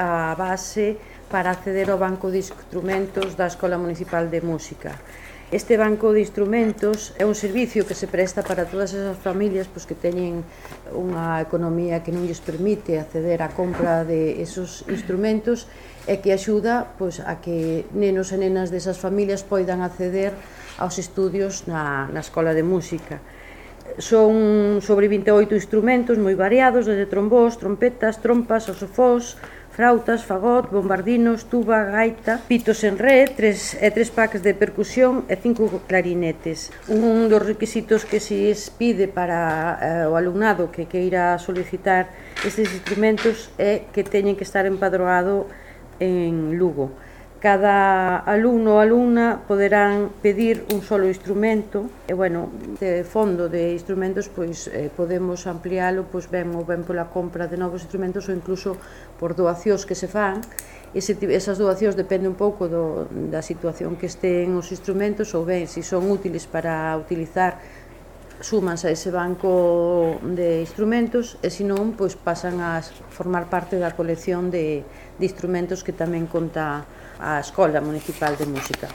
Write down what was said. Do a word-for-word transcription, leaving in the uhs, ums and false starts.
a base para acceder ao banco de instrumentos da Escola Municipal de Música. Este banco de instrumentos é un servicio que se presta para todas esas familias pois, que teñen unha economía que non lles permite acceder á compra de esos instrumentos e que axuda pois, a que nenos e nenas desas familias poidan acceder aos estudios na, na Escola de Música. Son sobre vinte e oito instrumentos moi variados, desde trombós, trompetas, trompas, saxofóns, frautas, fagot, bombardinos, tuba, gaita, pitos en ré, tres, e tres packs de percusión e cinco clarinetes. Un dos requisitos que se pide para eh, o alumnado que queira solicitar estes instrumentos é que teñen que estar empadroado en Lugo. Cada alumno ou alumna poderán pedir un solo instrumento e, bueno, de fondo de instrumentos pois eh, podemos ampliálo pois ben ou ben pola compra de novos instrumentos ou incluso por doacións que se fan. Ese, esas doacións depende un pouco do, da situación que estén os instrumentos ou ben se son útiles para utilizar súmanse a ese banco de instrumentos e se non, pois pasan a formar parte da colección de, de instrumentos que tamén conta a Escola Municipal de Música.